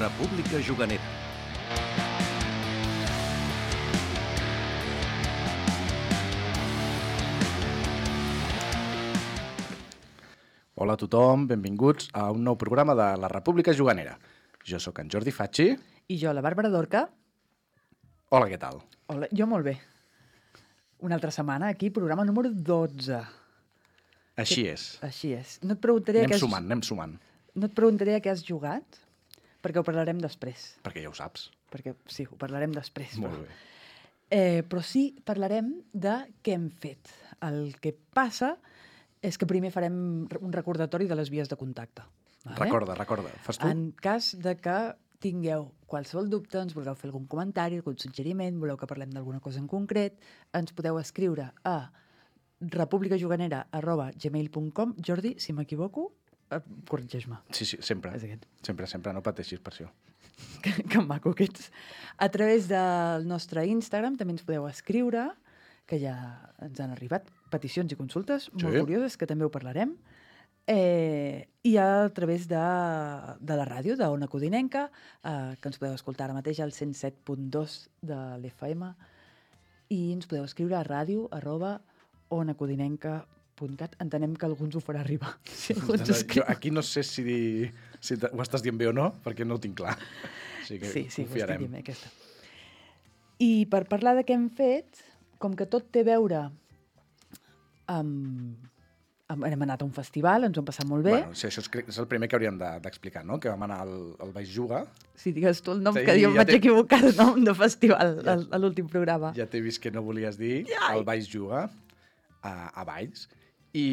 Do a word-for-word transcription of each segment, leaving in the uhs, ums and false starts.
República Juganera. Hola a tothom, benvinguts a un nou programa de la República Juganera. Jo sóc en Jordi Facci. I jo, la Bàrbara Dorca. Hola, què tal? Hola, jo molt bé. Una altra setmana aquí, programa número dotze. Així que... és. Així és. No et preguntaré Anem has... sumant, anem sumant. No et preguntaré a què has jugat, perquè ho parlarem després. Perquè ja ho saps. Perquè sí, ho parlarem després. Molt però... bé. Eh, però sí, parlarem de què hem fet. El que passa és que primer farem un recordatori de les vies de contacte. Vale? Recorda, recorda. Fas tu? En cas de que tingueu qualsevol dubte, ens vulgueu fer algun comentari, algun suggeriment, voleu que parlem d'alguna cosa en concret, ens podeu escriure a republicajuganera arroba gmail punt com. Jordi, si m'equivoco, eh, corregeix-me. Sí, sí, sempre. És aquest. Sempre, sempre, no pateixis per això. Que, que maco que ets. A través del nostre Instagram també ens podeu escriure, que ja ens han arribat peticions i consultes Sí. molt curioses, que també ho parlarem. Eh, I a través de, de la ràdio, d'Ona Codinenca, eh, que ens podeu escoltar ara mateix al cent set punt dos de l'F M, i ens podeu escriure a ràdio arroba onacodinenca punt cat. Entenem que algú ens ho farà arribar. Si algú ens Jo escriu. aquí no sé si, si ho estàs dient bé o no, perquè no ho tinc clar. Així que Sí, sí, ho estic confiarem. dient bé, aquesta. I per parlar de què hem fet, com que tot té a veure amb... amb hem anat a un festival, ens ho hem passat molt bé. Bueno, sí, això és, és el primer que hauríem de- d'explicar, no? Que vam anar al, al Baix Juga. Si digues tu el nom, Sí, que jo em ja vaig té- equivocar de nom de festival Ja- a, a l'últim programa. Ja t'he vist que no volies dir, Ai. el Baix Juga, a, a Valls, i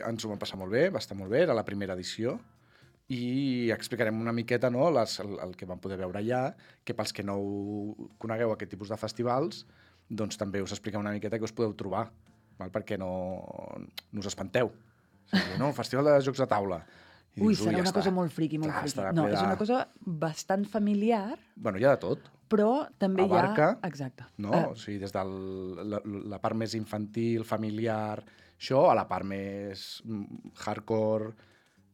ens ho vam passar molt bé, va estar molt bé, era la primera edició, i explicarem una miqueta, no?, les, el, el que vam poder veure allà, que pels que no ho conegueu aquest tipus de festivals, doncs també us expliquem una miqueta què us podeu trobar, val? Perquè no, no us espanteu. O sigui, no, festival de jocs de taula. I Ui, dius, serà ja una està. cosa molt friqui, molt Clar, friqui. estarà No, ple és de- una cosa bastant familiar, Bueno, hi ha de tot. però també Abarca, hi ha... Exacte. no? Eh, O sigui, des de la, la part més infantil, familiar, això, a la part més mm, hardcore,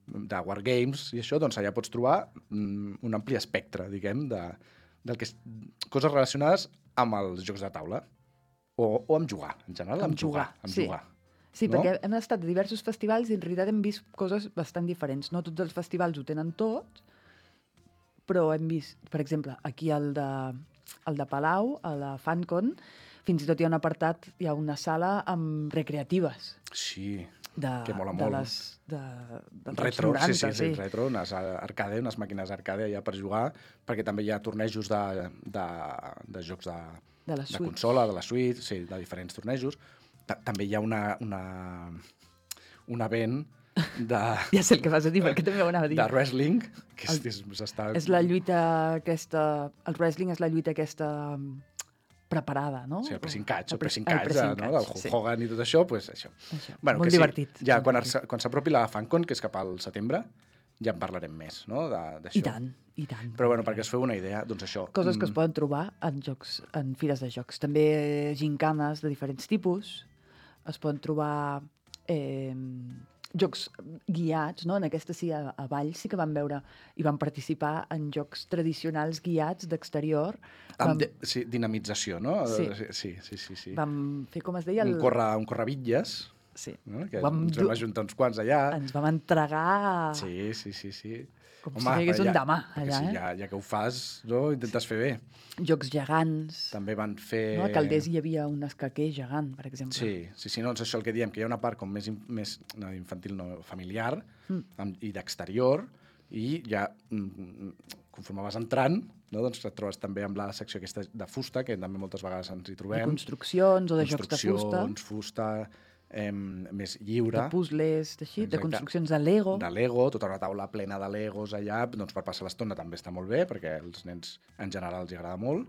de wargames i això, doncs allà pots trobar mm, un ampli espectre, diguem, de, del que és, coses relacionades amb els jocs de taula. O, o amb jugar, en general, amb, Amb jugar, jugar. Amb sí. jugar. Sí, no? perquè hem estat a diversos festivals i en realitat hem vist coses bastant diferents. No tots els festivals ho tenen tot, però hem vist, per exemple, aquí al de, al de Palau, a la FanCon, fins i tot hi ha un apartat, hi ha una sala amb recreatives. Sí, De, que mola de molt. Les, de, dels Retro, noranta, sí, sí, sí, retro, unes arcade, unes màquines arcade allà per jugar, perquè també hi ha tornejos de, de, de jocs de, De les de suites. consola, de la suite, sí, de diferents tornejos. Ta també hi ha una, una, un event de, Ja sé el que vas a dir, perquè també ho anava a dir. de wrestling, que és, El- és, s'està... És la lluita aquesta... El wrestling és la lluita aquesta mm, preparada, no? Sí, el pressing catch, el pressing el catch, pressing no? catch, del Hulk sí. Hogan i tot això, pues això. Això. Bueno, Molt que sí, divertit. Ja, molt quan, divertit. es- quan s'apropi la FanCon, que és cap al setembre, ja en parlarem més, no?, de- d'això. I tant, i tant. Però, bueno, perquè us feu una idea, doncs això... Coses que es mm, poden trobar en jocs, en fires de jocs. També gincanes de diferents tipus. Es poden trobar eh, jocs guiats, no? En aquesta sí, a, a Valls sí que vam veure i vam participar en jocs tradicionals guiats d'exterior. Amb Vam, de, sí, dinamització, no? Sí. Sí, sí, sí. sí. vam fer, com es deia... Un, corre, un correbitlles, Sí. no? Que Vam ens vam dur- ajuntar uns quants allà. Ens vam entregar Sí, sí, sí, sí. com si hi hagués un demà, perquè allà, sí, eh? ja, ja que ho fas, no? Intentes fer bé. jocs gegants. També van fer... No? A Calders hi havia un escaquer gegant, per exemple. Sí, sí, sí, no, és això el que diem, que hi ha una part com més, in- més no, infantil, no, familiar, Mm. amb, i d'exterior, i ja, mm, conforme vas entrant, no, doncs et trobes també amb la secció aquesta de fusta, que també moltes vegades ens hi De trobem. construccions o de jocs de fusta, Construccions, fusta, eh, més lliure. de puzzles, d'així, de Exacte. construccions de Lego. De Lego, tota una taula plena de Legos allà, doncs per passar l'estona també està molt bé, perquè als nens en general els agrada molt.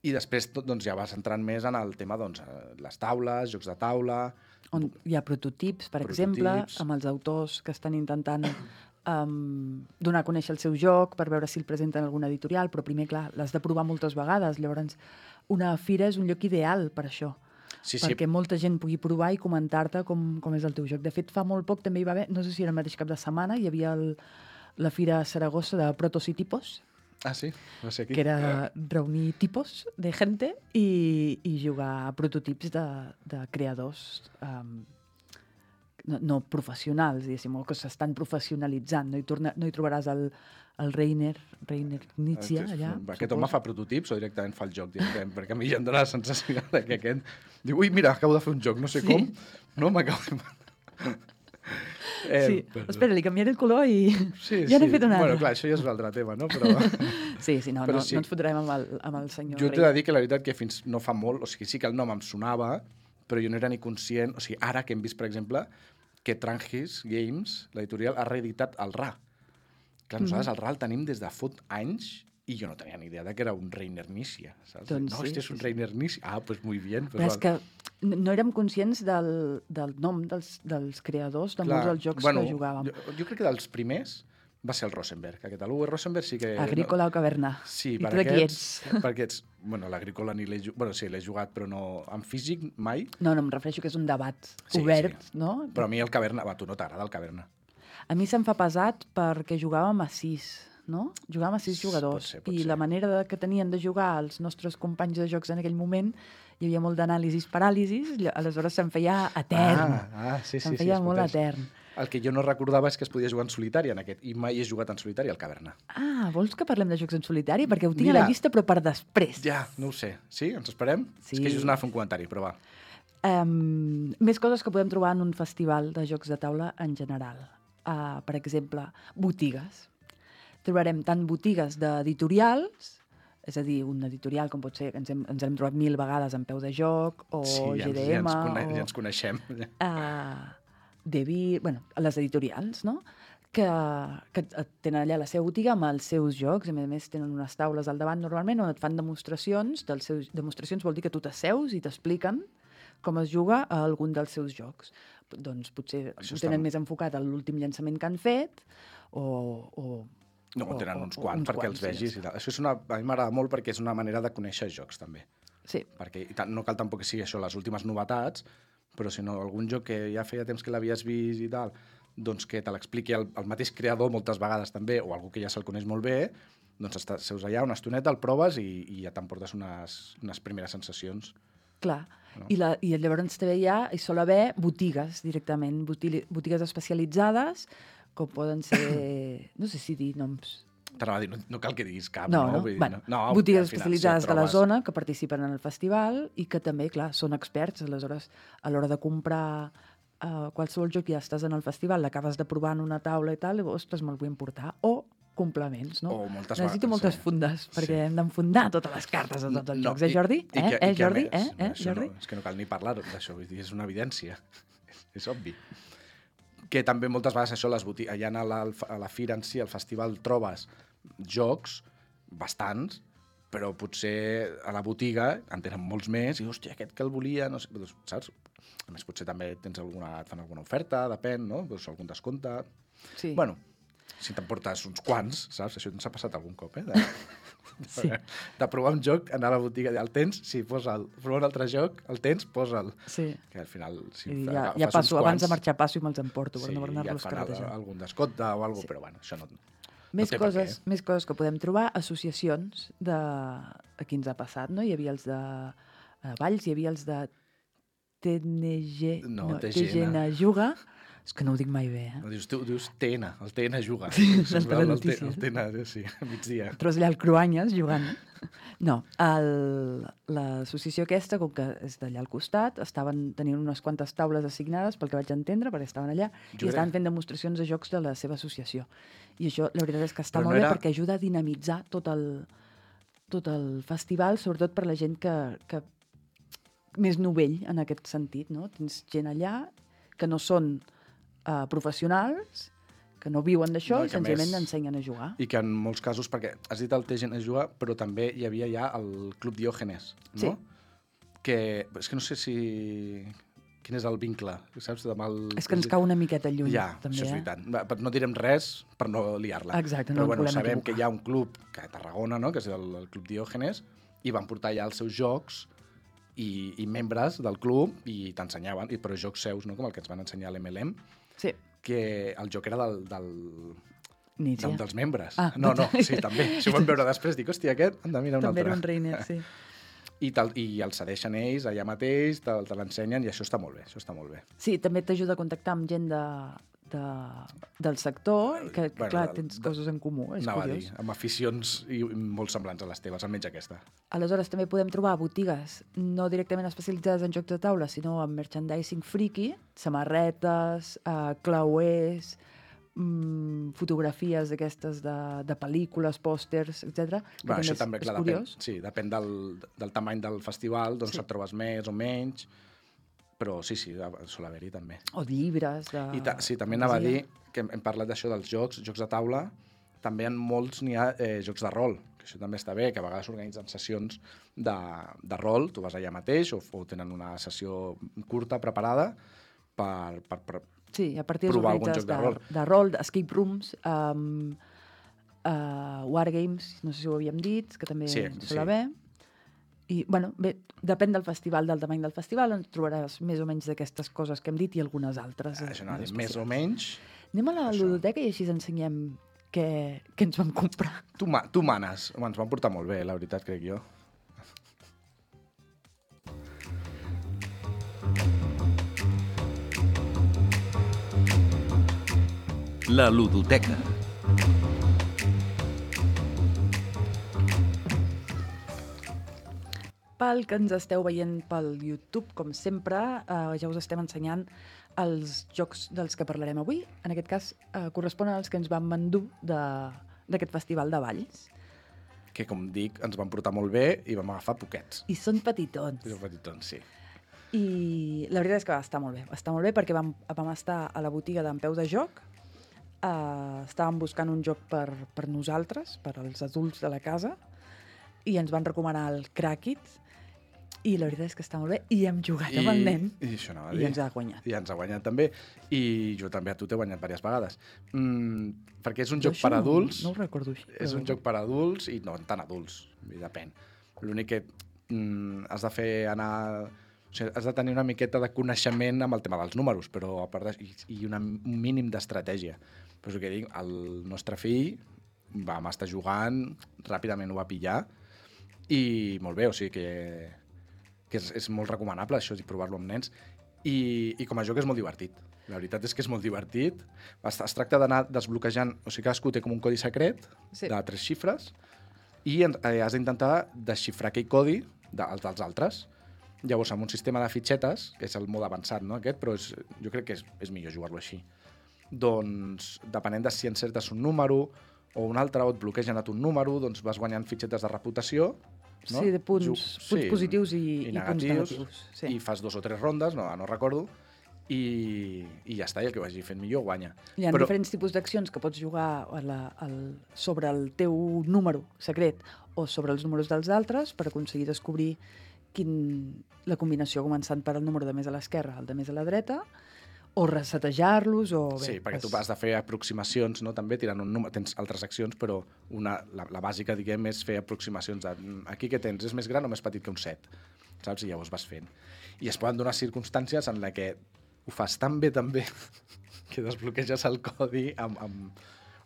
I després tot, doncs, ja vas entrant més en el tema, doncs, eh, les taules, jocs de taula... On hi ha prototips, per Prototips. exemple, amb els autors que estan intentant um, donar a conèixer el seu joc per veure si el presenten en alguna editorial, però primer, clar, l'has de provar moltes vegades. Llavors, una fira és un lloc ideal per això, Sí, sí, perquè molta gent pugui provar i comentar-te com, com és el teu joc. De fet, fa molt poc també hi va haver, no sé si era el mateix cap de setmana, hi havia el, la Fira Saragossa de Protos i Tipos, Ah, sí? No sé aquí. que era reunir tipos de gente i, i jugar a prototips de, de creadors um, no, no professionals, diguéssim, o que s'estan professionalitzant. No hi, torna, no hi trobaràs el, el Reiner, Reiner Nietzsche, allà. Aquest home fa prototips o directament fa el joc? Directament? Perquè a mi ja em dóna la sensació de que aquest diu, ui, mira, acabo de fer un joc, no sé Sí. com, no m'acabo de... Eh, sí, però... espera, li canviaré el color i sí, ja n'he sí. fet un altre. Bueno, clar, això ja és un altre tema, no? Però... sí, sí, no, però no, sí. no ens fotrem amb el, amb el senyor Jo Rei. t'he de dir que la veritat que fins no fa molt, o sigui, sí que el nom em sonava, però jo no era ni conscient, o sigui, ara que hem vist, per exemple, que Trangis Games, l'editorial, ha reeditat el R A. Clar, nosaltres mm. el R A el tenim des de fot anys i jo no tenia ni idea de que era un Reiner Nícia, saps? Doncs no, sí, este és un sí, Reiner Nícia. Ah, pues muy bien. Pues Però val. és que no érem conscients del, del nom dels, dels creadors de Clar, molts dels jocs bueno, que jugàvem. Jo, jo crec que dels primers va ser el Rosenberg. Aquest, l'Uwe Rosenberg sí que... Agrícola no... o Caverna. Sí, I per tu de qui aquests, ets? per aquests... Bueno, l'Agrícola ni l'he jugat... Bueno, sí, l'he jugat, però no... En físic, mai. No, no, em refereixo que és un debat Sí, obert, sí. no? Però a mi el Caverna... Va, tu no t'agrada el Caverna. A mi se'm fa pesat perquè jugàvem a sis, no? Jugàvem a sis jugadors. Pot ser, pot I ser. la manera de, que tenien de jugar els nostres companys de jocs en aquell moment, hi havia molt d'anàlisis paràlisis, ll- aleshores se'm feia etern. Ah, ah sí, sí. se'm sí, feia es molt pot- etern. El que jo no recordava és que es podia jugar en solitari en aquest, i mai he jugat en solitari al Caverna. Ah, vols que parlem de jocs en solitari? Perquè ho tinc Mira. a la llista, però per després. Ja, no ho sé. Sí? Ens esperem? Sí. És que just anava a fer un comentari, però va. Um, més coses que podem trobar en un festival de jocs de taula en general. Uh, per exemple, botigues. Trobarem tant botigues d'editorials, és a dir, un editorial com pot ser, ens hem, ens hem trobat mil vegades en Peu de Joc, o sí, ja, G D ens, M, ja, ens cone o ja ens coneixem. uh, Devi, bueno, les editorials, no? Que, que tenen allà la seva botiga amb els seus jocs, i a més a més tenen unes taules al davant normalment on et fan demostracions, dels seus, demostracions vol dir que tu t'asseus i t'expliquen com es juga a algun dels seus jocs. Doncs potser Això ho està tenen molt- més enfocat a l'últim llançament que han fet, o... o No, o- tenen o- uns o quants uns perquè quants, els vegis sí. i tal. Això és una, a mi m'agrada molt perquè és una manera de conèixer jocs, també. Sí, Perquè i tant, no cal tampoc que sigui això les últimes novetats, però si no, algun joc que ja feia temps que l'havies vist i tal, doncs que te l'expliqui el, el mateix creador moltes vegades també, o algú que ja se'l coneix molt bé, doncs estàs, seus allà una estoneta, el proves i, i ja t'emportes unes, unes primeres sensacions. clar. No? I, la, I llavors també hi ha, hi sol haver botigues directament, botili, botigues especialitzades, com poden ser, no sé si dir noms. T'anava a dir, no, no cal que diguis cap, No, no? no, Vull dir, bueno, no, no botigues al final, especialitzades si et de la trobes- zona que participen en el festival i que també, clar, són experts. Aleshores, a l'hora de comprar uh, qualsevol joc, ja estàs en el festival, l'acabes de provar en una taula i tal, i ostres, me'l vull emportar. O complements, no? O moltes Necessito vegades, moltes sí. fundes, perquè Sí. hem d'enfundar totes les cartes de tots els No, jocs. Eh, i- Jordi? i Eh, que- eh i que a Jordi? més- Eh, eh, això Jordi? No, és que no cal ni parlar d'això, vull dir, és una evidència. És obvi. Que també moltes vegades això, les botigues, allà a la, a la fira en si, al festival, trobes jocs, bastants, però potser a la botiga en tenen molts més i, hòstia, aquest que el volia, no sé, doncs, saps? A més, potser també tens alguna, et fan alguna oferta, depèn, no? Doncs algun descompte. Sí. Bueno, si t'emportes uns quants, saps? Això ens ha passat algun cop, eh? De, Sí. de provar un joc, anar a la botiga, el tens, sí, posa'l. Provar un altre joc, el tens, posa'l. Sí. Que al final... Si I fa- ja, agafes ja uns passo, abans de quants, marxar passo i me'ls emporto per sí, no ja et anar-los fan al- carretejant. algun descompte o alguna cosa, Sí. però bueno, això no... Més, no té per coses, què. més coses que podem trobar, associacions de... Aquí ens ha passat, no? Hi havia els de a Valls, hi havia els de T N G... No, T T G N. G N Juga. És que no ho dic mai bé, eh? No, dius, tu dius T N, el T N juga. Sí, Se'm les veu el, T- telenotícies. el T N, sí, a migdia. Trobes allà el Cruanyes jugant. No, el- l'associació aquesta, com que és d'allà al costat, estaven tenint unes quantes taules assignades, pel que vaig entendre, perquè estaven allà, Jo i estaven crec- fent demostracions de jocs de la seva associació. I això, la veritat és que està Però molt no bé era- perquè ajuda a dinamitzar tot el, tot el festival, sobretot per la gent que, que més novell en aquest sentit, no? Tens gent allà que no són uh, professionals, que no viuen d'això No, no, i i que a senzillament més- ensenyen a jugar. I que en molts casos, perquè has dit el T G N juga, però també hi havia ja el Club Diògenes, no? Sí. Que, és que no sé si... Quin és el vincle, saps? Amb el... És que ens cau una miqueta lluny, Ja, també, això és eh? veritat. Va, però No direm res per no liar-la. Exacte, no Però ens bueno, volem sabem equivocar. que hi ha un club, que a Tarragona, no? que és el, el Club Diògenes, i van portar ja els seus jocs i, i membres del club i t'ensenyaven, i però jocs seus, no? com el que ens van ensenyar a l'M L M, Sí, que el joc era del, del, Nietzsche. Un dels membres. Ah, no, no, total. sí, també. Si ho vam veure després, dic, hòstia, aquest, anda, mira un També altre. era un reiner, sí. I, tal, I el cedeixen ells allà mateix, te, te l'ensenyen, i això està molt bé, això està molt bé. Sí, també t'ajuda a contactar amb gent de, de, del sector, que, que Bueno, clar, del- tens de- coses en comú, és Anava a curiós. dir, amb aficions i molt semblants a les teves, almenys aquesta. Aleshores, també podem trobar botigues no directament especialitzades en jocs de taula, sinó en merchandising friki, samarretes, eh, clauers, mm, fotografies d'aquestes de, de pel·lícules, pòsters, etcètera. que Bueno, això és, també, és clar, depèn, curiós. sí, depèn del, del tamany del festival, doncs Sí. et trobes més o menys, però sí, sí, sol haver-hi també. O llibres de I ta sí, també anava a dir fantasia. que hem, hem parlat d'això dels jocs, jocs de taula, també en molts n'hi ha eh, jocs de rol, que això també està bé, que a vegades organitzen sessions de, de rol, tu vas allà mateix, o, o tenen una sessió curta preparada per, per, per Sí, a partir provar algun d'organitzades joc de de, rol. de rol, d'escape rooms, um, uh, wargames, no sé si ho havíem dit, que també Sí, sol sí. haver. I, bueno, bé, depèn del festival, del tamany del festival, ens trobaràs més o menys d'aquestes coses que hem dit i algunes altres. això no, més més o especials. menys. Anem a la això. ludoteca i així ens ensenyem què, què ens vam comprar. Tu, ma tu manes. Home, ens van portar molt bé, la veritat, crec jo. La ludoteca. Pel que ens esteu veient pel YouTube, com sempre, eh, ja us estem ensenyant els jocs dels que parlarem avui. En aquest cas, eh, corresponen als que ens vam endur de- d'aquest festival de Valls. Que, com dic, ens van portar molt bé i vam agafar poquets. I són petitons. I petitons, sí. I la veritat és que va estar molt bé. Va estar molt bé perquè vam, vam estar a la botiga d'en Peu de Joc, eh, estàvem buscant un joc per, per nosaltres, per als adults de la casa, i ens van recomanar el Crackit, i la veritat és que està molt bé, i hem jugat amb el nen, I això anava a i dir. ens ha guanyat. I ens ha guanyat també. I jo també a tu t'he guanyat diverses vegades. Mm, perquè és un Jo joc això per no- adults. No ho recordo així. És un però- joc per adults i no tan adults, i depèn. L'únic que mm, has de fer anar... O sigui, has de tenir una miqueta de coneixement amb el tema dels números, però a part de, i, i una, un mínim d'estratègia. Però és el que dic, el nostre fill vam estar jugant, ràpidament ho va pillar, i molt bé, o sigui que, que és, és molt recomanable això, i provar-lo amb nens. I, I com a joc és molt divertit. La veritat és que és molt divertit. Es, es tracta d'anar desbloquejant... O sigui, cadascú té com un codi secret Sí. de tres xifres i en- eh, has d'intentar desxifrar aquell codi de, els dels altres. Llavors, amb un sistema de fitxetes, que és el mode avançat, no, aquest, però és, jo crec que és, és millor jugar-lo així. Doncs, depenent de si encertes un número o un altre, o et bloquegen a tu un número, doncs vas guanyant fitxetes de reputació, no? Sí, de punts, Ju- punts positius i, i, punts negatius. Sí. i fas dos o tres rondes, no, no recordo, i, i ja està, i el que vagi fent millor guanya. Hi ha Però- diferents tipus d'accions que pots jugar a la, al, sobre el teu número secret o sobre els números dels altres per aconseguir descobrir quin, la combinació començant per el número de més a l'esquerra al de més a la dreta, o resetejar-los, o... Bé, Sí, perquè és- tu has de fer aproximacions, no? També tirant un número, tens altres accions, però una, la, la bàsica, diguem, és fer aproximacions de "Mm, aquí què tens, és més gran o més petit que un set, saps? I llavors vas fent. I es poden donar circumstàncies en la que ho fas tan bé, tan bé, que desbloqueges el codi amb, amb,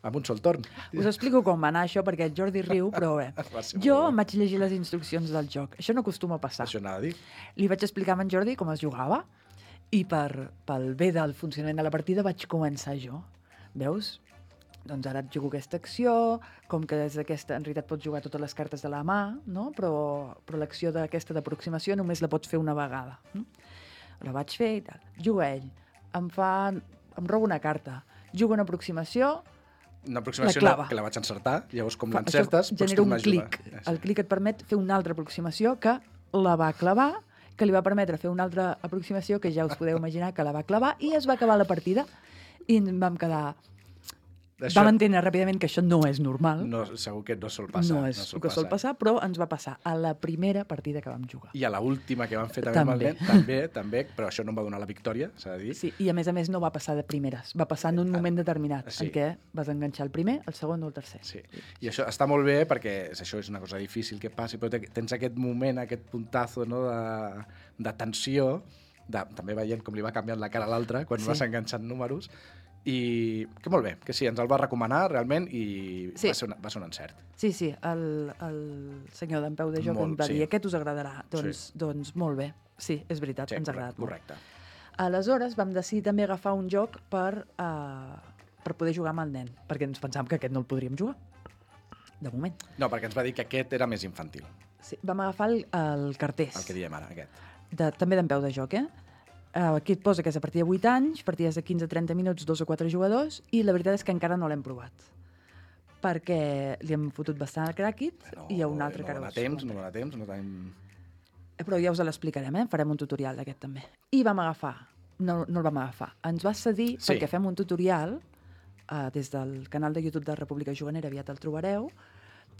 amb un sol torn. Us explico com va anar això, perquè el Jordi riu, però bé. Va ser Jo molt em bo. vaig llegir les instruccions del joc. Això no acostuma a passar. Això anava a dir. Li vaig explicar a en Jordi com es jugava i per, pel bé del funcionament de la partida vaig començar jo. Veus? Doncs ara et jugo aquesta acció, com que des d'aquesta en realitat pots jugar totes les cartes de la mà, no? però, però l'acció d'aquesta d'aproximació només la pots fer una vegada. No? La vaig fer i tal. Juga ell. Em fa... Em roba una carta. Juga una aproximació, Una aproximació La clava. que la vaig encertar, llavors com fa- l'encertes això pots genera un tornar a jugar. clic. Eh, sí. El clic et permet fer una altra aproximació que la va clavar, que li va permetre fer una altra aproximació que ja us podeu imaginar que la va clavar i es va acabar la partida i em vam quedar... Això Vam entendre ràpidament que això no és normal, no, segur que no sol passar. no és el que sol passar, però ens va passar a la primera partida que vam jugar. I a l'última que vam fer també, amb el També. nen, també, també, però això no em va donar la victòria, s'ha de dir. Sí, i a més a més no va passar de primeres, va passar en un moment determinat, sí. en què vas enganxar el primer, el segon o el tercer. Sí. I això està molt bé perquè és- això és una cosa difícil que passi, però te- tens aquest moment, aquest puntazo, no, de, de tensió, de, també veient com li va canviant la cara a l'altre quan Sí. vas enganxant números, i que molt bé, que sí, ens el va recomanar realment i Sí. va, ser una, va ser un encert. Sí, sí, el, el senyor d'en Peu de Joc Molt, em va sí. dir aquest us agradarà. Doncs, Sí. doncs molt bé. Sí, és veritat, Sí, ens ha correcte, agradat molt. correcte. Aleshores vam decidir també agafar un joc per, uh, per poder jugar amb el nen, perquè ens pensàvem que aquest no el podríem jugar, de moment. No, perquè ens va dir que aquest era més infantil, Sí, vam agafar el, el cartés, el que diem ara, aquest. de, també d'en Peu de Joc, eh? Uh, aquí et posa que és a partir de vuit anys, partides de quinze a trenta minuts, dos o quatre jugadors, i la veritat és que encara no l'hem provat, perquè li hem fotut bastant al cràquit, No, i hi ha un altre no que ara dona us temps, no comentaré. dona temps, no tenim... Però ja us l'explicarem, eh? Farem un tutorial d'aquest també. I vam agafar, no, no el vam agafar, ens va cedir, Sí. perquè fem un tutorial, uh, des del canal de YouTube de República Juganera, aviat el trobareu,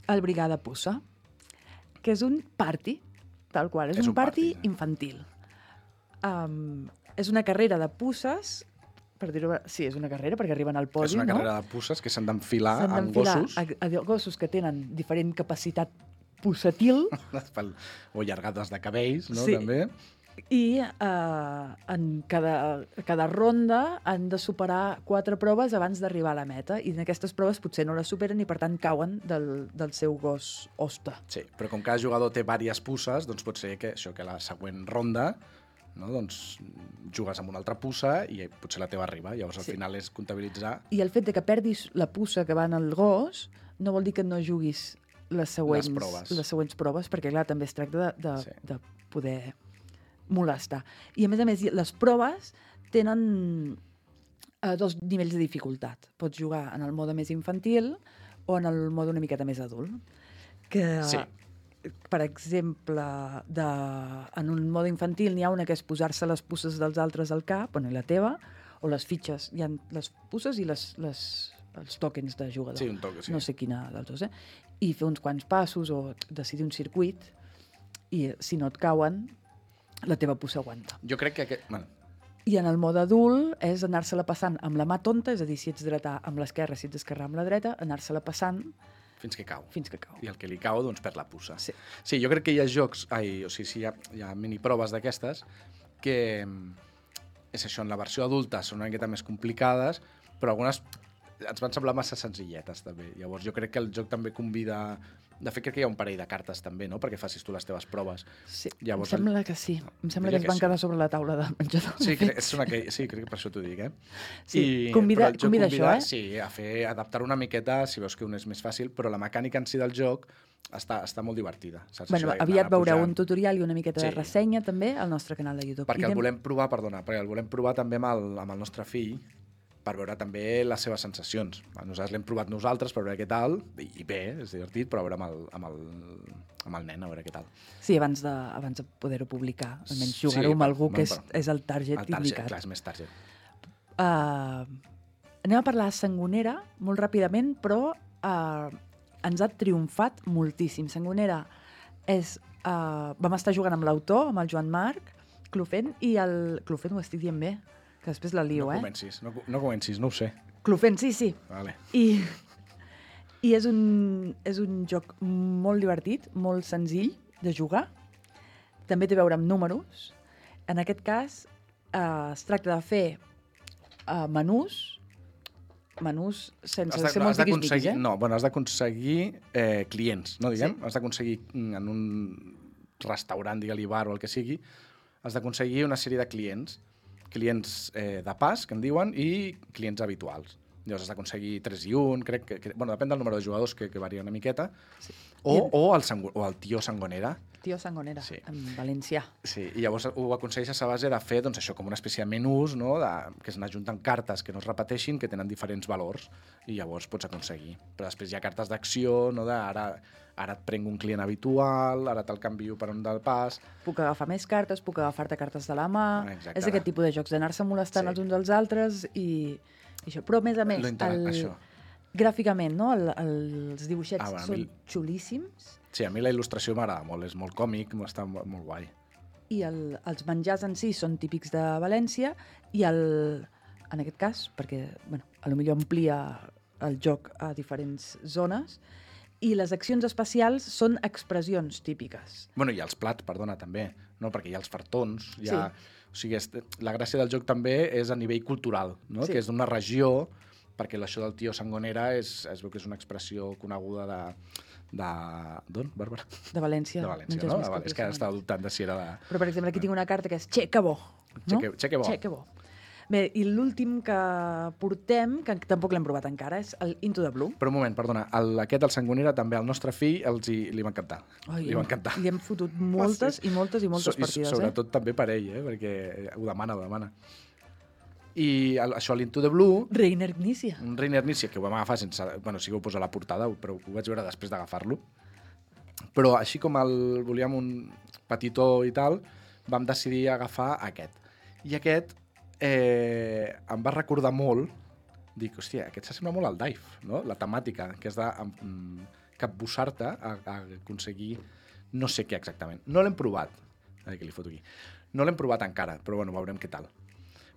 el Brigada Puça, que és un party, tal qual, és, És un, un party, party. infantil. Um, és una carrera de pusses, per dir-ho... Sí, és una carrera, perquè arriben al podi, És una no? carrera de pusses que s'han d'enfilar S'han amb d'enfilar gossos a, a gossos que tenen diferent capacitat pussetil, pel- o llargades de cabells, no? Sí. També. i eh, en cada, cada ronda han de superar quatre proves abans d'arribar a la meta, i en aquestes proves potser no les superen i per tant cauen del, del seu gos hoste. Sí, però com cada jugador té diverses pusses, doncs pot ser que, això, que la següent ronda, no, doncs, jugues amb una altra pussa i potser la teva arriba. Llavors, al Sí. final és comptabilitzar I el fet de que perdis la puça que va en el gos no vol dir que no juguis les següents, Les proves. les següents proves, perquè clar, també es tracta de, de, Sí. de poder molestar. I a més a més, les proves tenen eh, dos nivells de dificultat. Pots jugar en el mode més infantil o en el mode una miqueta més adult. Que, Sí. per exemple, de, en un mode infantil n'hi ha una que és posar-se les puces dels altres al cap, bueno, i la teva, o les fitxes. Hi ha les puces i les, les, els tòquens de jugador. Sí, un toque, sí. No sé quina dels dos, eh? I fer uns quants passos o decidir un circuit, i si no et cauen, la teva puça aguanta. Jo crec que aquest... Bueno, I en el mode adult és anar-se-la passant amb la mà tonta, és a dir, si ets dretà amb l'esquerra, si ets esquerrà amb la dreta, anar-se-la passant fins que cau. fins que cau. I el que li cau, doncs, perd la pussa. Sí. Sí, jo crec que hi ha jocs, ai, o sigui, sí, hi ha, hi ha miniproves d'aquestes que, mm, és això, en la versió adulta són una miqueta més complicades, però algunes ens van semblar massa senzilletes, també. Llavors, jo crec que el joc també convida... De fet, crec que hi ha un parell de cartes, també, no?, perquè facis tu les teves proves. Sí, Llavors, em sembla que sí. Em sembla diria que es que van sí. quedar sobre la taula de menjador. Sí, crec, és una que, sí, crec que per això t'ho dic, eh? Sí, convida- però el joc convida això, eh? Sí, a fer, adaptar una miqueta, si veus que un és més fàcil, però la mecànica en si del joc està, està molt divertida. Saps? Bueno, Això d'anar aviat veureu pujant. un tutorial i una miqueta de Sí. ressenya també al nostre canal de YouTube. Perquè I el anem- volem provar, perdona, perquè el volem provar també amb el, amb el nostre fill, per veure també les seves sensacions. Nosaltres l'hem provat nosaltres per veure què tal, i, i bé, és divertit, però a veure amb el, amb el, amb el nen, a veure què tal. Sí, abans de, abans de poder-ho publicar. Almenys Sí, jugar-ho amb per- algú que és, bueno, és el target, El target, indicat. clar, és més target. Uh, anem a parlar de Sangonera molt ràpidament, però uh, ens ha triomfat moltíssim. Sangonera és... Uh, vam estar jugant amb l'autor, amb el Joan Marc Clofent, i el... Clofent ho estic dient bé, que després la lio, No eh? comencis, no, no comencis, no ho sé. Clofent, sí, sí. Vale. I, i és, un, és un joc molt divertit, molt senzill de jugar. També té a veure amb números. En aquest cas, eh, es tracta de fer eh, menús, menús sense Has de- ser no, molt has d'aconseguir- tiquis-miquis, eh? No, bueno, has d'aconseguir eh, clients, no diguem? Sí. Has d'aconseguir mm, en un restaurant, digue-li bar o el que sigui, has d'aconseguir una sèrie de clients, clients eh, de pas, que en diuen, i clients habituals. Llavors has d'aconseguir tres i un, crec que, que... Bueno, depèn del número de jugadors, que, que varia una miqueta. Sí. O, I- o, el sangu, o el tio Sangonera. Tio Sangonera, Sí. en valencià. Sí, i llavors ho aconsegueixes a base de fer doncs, això com una espècie de menús, no? de, que es n'ajunten cartes que no es repeteixin, que tenen diferents valors, i llavors pots aconseguir. Però després hi ha cartes d'acció, no? de ara, ara et prenc un client habitual, ara te'l canvio per un del pas... Puc agafar més cartes, puc agafar-te cartes de la mà... Exacte. És aquest tipus de jocs, d'anar-se molestant Sí. els uns als altres i, i això. Però, a més a més, Lo intera- el, això. gràficament, no? El, el, els dibuixets Ah, bueno, a són mi- xulíssims Sí, a mi la il·lustració m'agrada molt, és molt còmic, està molt, molt guai. i el, els menjars en si són típics de València i el, en aquest cas, perquè bueno, a lo millor amplia el joc a diferents zones, I les accions especials són expressions típiques. Bueno, i els plats, perdona, també, no? Perquè hi ha els fartons, hi ha... Sí. O sigui, és... la gràcia del joc també és a nivell cultural, no? Sí. Que és d'una regió, perquè això del tio Sangonera és, es veu que és una expressió coneguda de... de... D'on, Bàrbara? De València. De València, menges no? més Ah, que vale, és que ara persones. estava dubtant de si era de... Però, per exemple, aquí tinc una carta que és Che, que bo. No? Che que- che que bo. Che, que bo. Bé, i l'últim que portem, que tampoc l'hem provat encara, és el Into the Blue. Però un moment, perdona, el, aquest, el Sangonera, també al nostre fill els hi, li va encantar. Ai, li va encantar. Li hem fotut moltes i moltes i moltes So- partides, I sobretot també per ell, eh? Perquè ho demana, ho demana. I el, això, l'Into the Blue, eh? Reiner Ignícia. un Reiner Nícia, que ho vam agafar sense... Bueno, sí que ho posa a la portada, però ho vaig veure després d'agafar-lo. Però així com el volíem un petitó i tal, vam decidir agafar aquest. I aquest eh, em va recordar molt, dic, hòstia, aquest s'assembla molt al Dive, no? La temàtica, que és de mm, capbussar-te a, a aconseguir no sé què exactament. No l'hem provat, a veure què li foto aquí. No l'hem provat encara, però bueno, veurem què tal.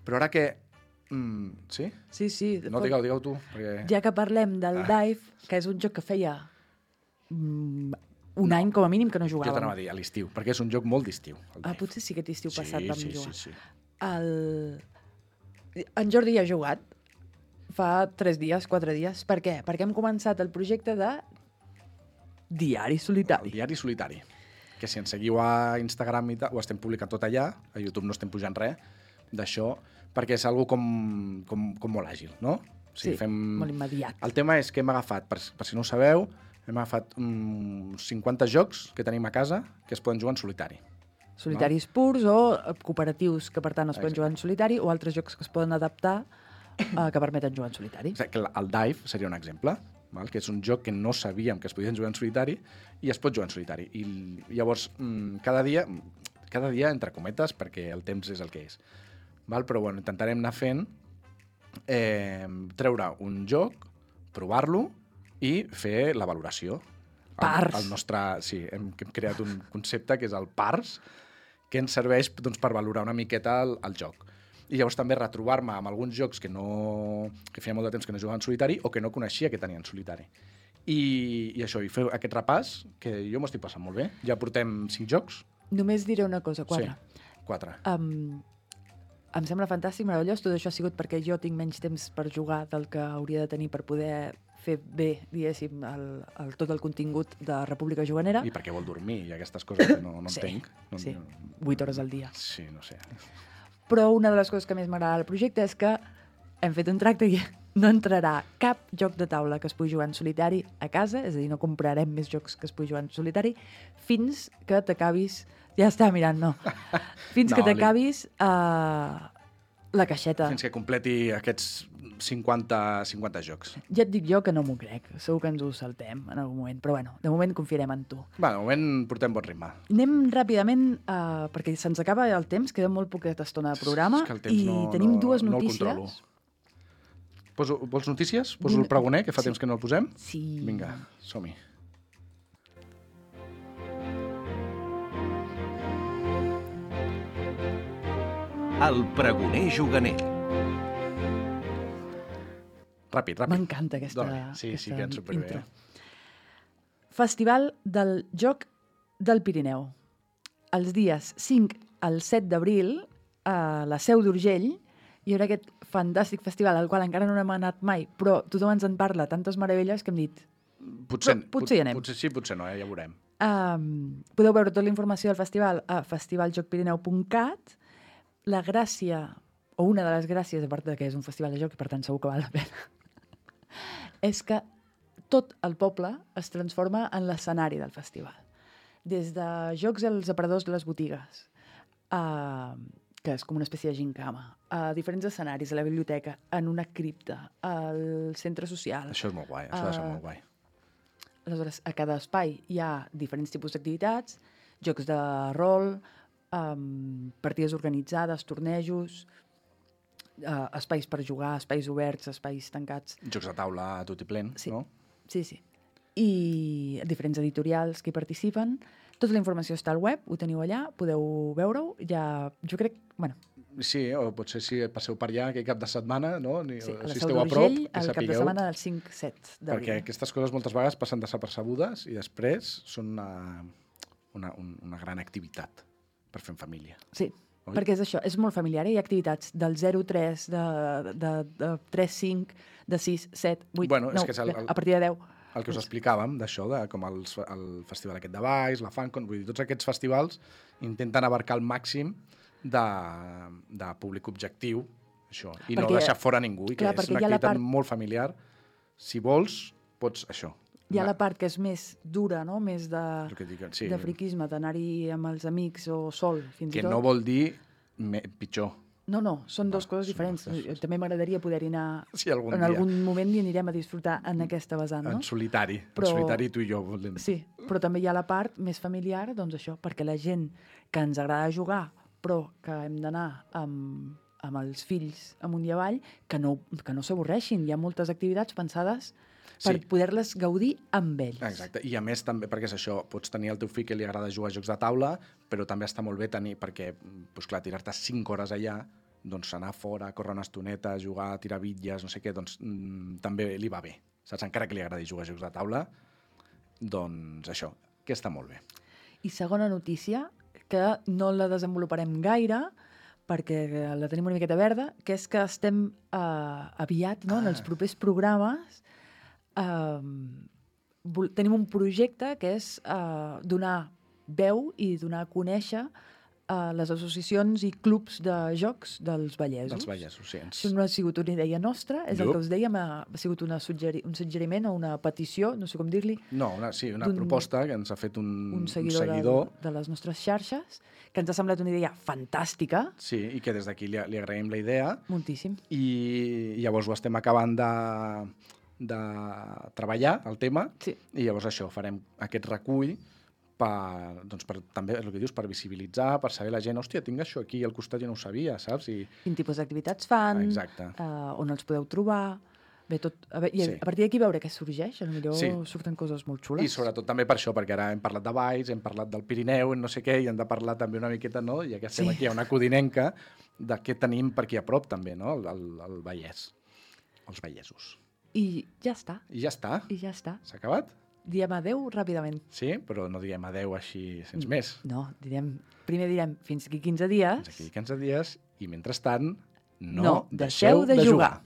Però ara que... Mm, sí? Sí, sí. No, digueu, digueu tu. Perquè... Ja que parlem del Ah. Dive, que és un joc que feia mm, un any com a mínim que no Jo t'anava jugàvem. a dir, a l'estiu, perquè és un joc molt d'estiu. el Ah, Dive. potser sí que aquest estiu Sí, passat vam sí, jugar. sí, sí. El... En Jordi hi ha jugat fa tres dies, quatre dies. Per què? Perquè hem començat el projecte de Diari El Solitari. diari solitari, que si ens seguiu a Instagram i tal, ho estem publicant tot allà, a YouTube no estem pujant res d'això, perquè és algo com, com, com molt àgil, no? O Sí, molt immediat. El tema és que hem agafat, per, per si no ho sabeu, hem agafat uns cinquanta jocs que tenim a casa que es poden jugar en solitari. Solitaris purs o eh, cooperatius que, per tant, es poden Exacte. jugar en solitari o altres jocs que es poden adaptar eh, que permeten jugar en solitari. O sigui, que el el Dive seria un exemple, val? Que és un joc que no sabíem que es podien jugar en solitari i es pot jugar en solitari. I llavors, mm, cada dia, cada dia entre cometes, perquè el temps és el que és. Val? Però bueno, intentarem anar fent, eh, treure un joc, provar-lo i fer la valoració. El, Pars. el nostre, sí, hem, hem creat un concepte que és el Pars, que ens serveix doncs, per valorar una miqueta el, el joc. I llavors també retrobar-me amb alguns jocs que, no, que feia molt de temps que no jugava en solitari o que no coneixia que tenien solitari. I, i això, i fer aquest repàs, que jo m'ho estic passant molt bé. Ja portem cinc jocs. Només diré una cosa, quatre. Sí, quatre. Um, em sembla fantàstic, meravellós. Tot això ha sigut perquè jo tinc menys temps per jugar del que hauria de tenir per poder fer bé, diguéssim, el, el, tot el contingut de República Juganera. I perquè vol dormir i aquestes coses que no, no Sí, entenc. No, sí, no, vuit hores al dia. sí, no sé. Però una de les coses que més m'agrada del projecte és que hem fet un tracte i no entrarà cap joc de taula que es pugui jugar en solitari a casa, és a dir, no comprarem més jocs que es pugui jugar en solitari, fins que t'acabis... Ja està mirant, no. Fins No, que t'acabis uh, la caixeta. Fins que completi aquests cinquanta, cinquanta jocs. Ja et dic jo que no m'ho crec. Segur que ens ho saltem en algun moment. Però bueno, de moment confiarem en tu. Va, de moment portem bon ritme. Anem ràpidament, uh, perquè se'ns acaba el temps, queda molt poqueta estona de programa, És que el temps i no, tenim no, dues no el notícies. controlo. Poso, vols notícies? Poso el pregoner, que fa Sí. temps que no el posem? Sí. Vinga, som-hi. El pregoner juganer. Ràpid, ràpid. M'encanta aquesta, Dona, sí, aquesta sí, queden superbé. intro. Eh? Festival del Joc del Pirineu. Els dies cinc al set d'abril, a la Seu d'Urgell, hi haurà aquest fantàstic festival al qual encara no hem anat mai, però tothom ens en parla, tantes meravelles que hem dit Potser, Però potser hi anem. Potser sí, potser no, eh? Ja veurem. Um, podeu veure tota la informació del festival a festivaljocpirineu punt cat. La gràcia, o una de les gràcies, a part de que és un festival de joc, i per tant segur que val la pena, és que tot el poble es transforma en l'escenari del festival. Des de jocs als aparadors de les botigues, uh, que és com una espècie de gincama, a diferents escenaris, a la biblioteca, en una cripta, al centre social. Això és molt guai, això ha de ser Ah. molt guai. Aleshores, a cada espai hi ha diferents tipus d'activitats, jocs de rol, um, partides organitzades, tornejos, uh, espais per jugar, espais oberts, espais tancats. Jocs de taula a tot i plen, Sí. no? Sí, sí. I diferents editorials que hi participen. Tota la informació està al web, ho teniu allà, podeu veure-ho. Ja, jo crec, bueno, Sí, o potser si passeu per allà aquell cap de setmana, no? Ni, Sí, a la si Seu esteu a prop, d'Urgell, que el cap de sapigueu, setmana del cinc set d'abril. perquè aquestes coses moltes vegades passen desapercebudes i després són una, una, un- una gran activitat per fer en família. Sí, Oi? perquè és això, és molt familiar. Hi ha activitats del zero tres, de, de, de tres cinc, de sis set, vuit, Bueno, és nou, que és el- el- a partir de deu. El que us explicàvem, d'això, de com els, el festival aquest de Valls, la FanCon, vull dir, tots aquests festivals intenten abarcar el màxim de, de públic objectiu, això, i Perquè- no deixar fora ningú, i que clar, és perquè una hi ha la activitat part- molt familiar. Si vols, pots, això. Hi ha anar- la part que és més dura, no? Més de, el que dic, sí, de friquisme, d'anar-hi amb els amics o sol, fins que i tot. no vol dir me, pitjor. No, no, són dues Va, coses són diferents. dues coses. També m'agradaria poder-hi anar... Sí, algun en dia. algun moment hi anirem a disfrutar en aquesta vessant, no? En solitari, Però- en solitari tu i jo. Volem. Sí, però també hi ha la part més familiar, doncs això, perquè la gent que ens agrada jugar, però que hem d'anar amb, amb els fills amunt i avall, que no, que no s'avorreixin. Hi ha moltes activitats pensades per Sí. poder-les gaudir amb ells. Exacte, i a més també, perquè és això, pots tenir el teu fill que li agrada jugar a jocs de taula, però també està molt bé tenir, perquè, doncs clar, tirar-te cinc hores allà, doncs anar fora, córrer una estoneta, jugar, tirar bitlles, no sé què, doncs mm, també li va bé, saps? Encara que li agradi jugar a jocs de taula, doncs això, que està molt bé. I segona notícia, que no la desenvoluparem gaire, perquè la tenim una miqueta verda, que és que estem eh, aviat, no, en els Ah. propers programes, eh, vol- tenim un projecte que és eh, donar veu i donar a conèixer a les associacions i clubs de jocs dels Vallesos. Dels Vallesos, sí. Ens... Això no ha sigut una idea nostra, és el No. que us dèiem, ha ha sigut una suggeri un suggeriment o una petició, no sé com dir-li, No, una, sí, una d'un- proposta que ens ha fet un, un seguidor, un seguidor De, de les nostres xarxes, que ens ha semblat una idea fantàstica, sí, i que des d'aquí li, li agraïm la idea, moltíssim. i llavors ho estem acabant de, de treballar, el tema, Sí. i llavors això, farem aquest recull per, doncs per, també, el que dius, per visibilitzar, per saber la gent, hòstia, tinc això aquí al costat i no ho sabia, saps? I, Quin tipus d'activitats fan, Exacte. eh, on els podeu trobar... Bé, tot, a, veure, i a, Sí. a partir d'aquí veure què sorgeix, potser Sí. surten coses molt xules. I sobretot també per això, perquè ara hem parlat de Valls, hem parlat del Pirineu, no sé què, i hem de parlar també una miqueta, no? Ja que estem Sí. aquí a una codinenca, de què tenim per aquí a prop també, no? El, el, el Vallès, els vallesos. I ja està, I ja està, i ja està. s'ha acabat? Diem adeu ràpidament. Sí, però no diguem adeu així, Mm. sense més. No, direm, primer direm fins aquí quinze dies. Fins aquí quinze dies, i mentrestant, no, No deixeu de jugar.